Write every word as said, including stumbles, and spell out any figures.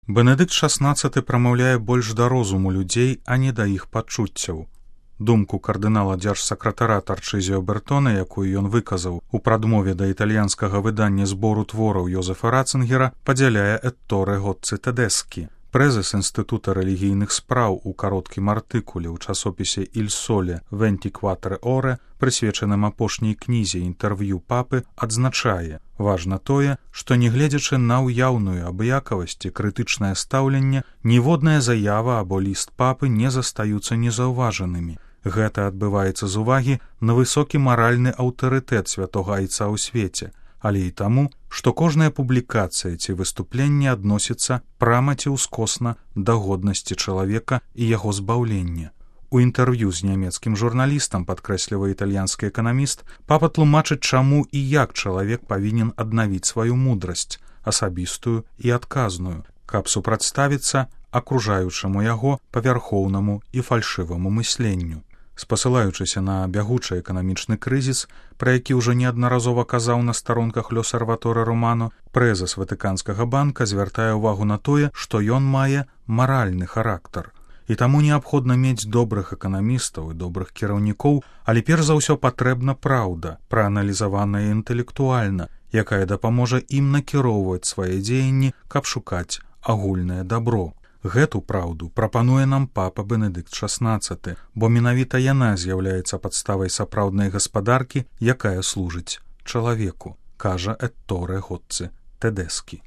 Бенедыкт шаснаццаты прамаўляе больш да розуму людзей, а не да іх пачуццяў. Думку кардынала дзяржсакратара Тарчызіо Бертона, якую ён выказаў у прадмове да італьянскага выдання збору твораў Йозефа Ратцингера, падзяляе Этторе Гоцци Тэдэскі. Прэзес Інстытута рэлігійных спраў у кароткім артыкуле ў часопісе «Иль Соле вентикватре оре», прысвечаным апошняй кнізе інтэрв'ю папы, адзначае: важна тое, што нягледзячы на ўяўную абыякавасць і крытычнае стаўленне, ніводная заява або ліст папы не застаюцца незаўважанымі. Гэта адбываецца з увагі на высокі маральны аўтарытэт святога айца ў свеце, але і таму, што кожная публікацыя ці выступленне адносіцца прама ці ўскосна да годнасці чалавека і яго збаўлення. У інтэрв'ю з нямецкім журналістам, падкрэслівае італьянскі эканаміст, папа тлумачыць, чаму і як чалавек павінен аднавіць сваю мудрасць, асабістую і адказную, каб супрацьставіцца акружаючаму яго павярхоўнаму і фальшываму мысленню. Спасылаючыся на бягучы эканамічны крызіс, пра які ўжо неаднаразова казаў на старонках Л'Осерваторе Романо, прэзес Ватыканскага банка звяртае ўвагу на тое, што ён мае маральны характар. І таму неабходна мець добрых эканамістаў і добрых кіраўнікоў, але перш за ўсё патрэбна праўда, прааналізаваная інтэлектуальна, якая дапаможа ім накіроўваць свае дзеянні, каб шукаць агульнае дабро. Гэту праўду прапануе нам папа Бенедыкт шаснаццаты, бо менавіта яна з'яўляецца падставай сапраўднай гаспадаркі, якая служыць чалавеку, кажа Этторе Гоцци Тэдэскі.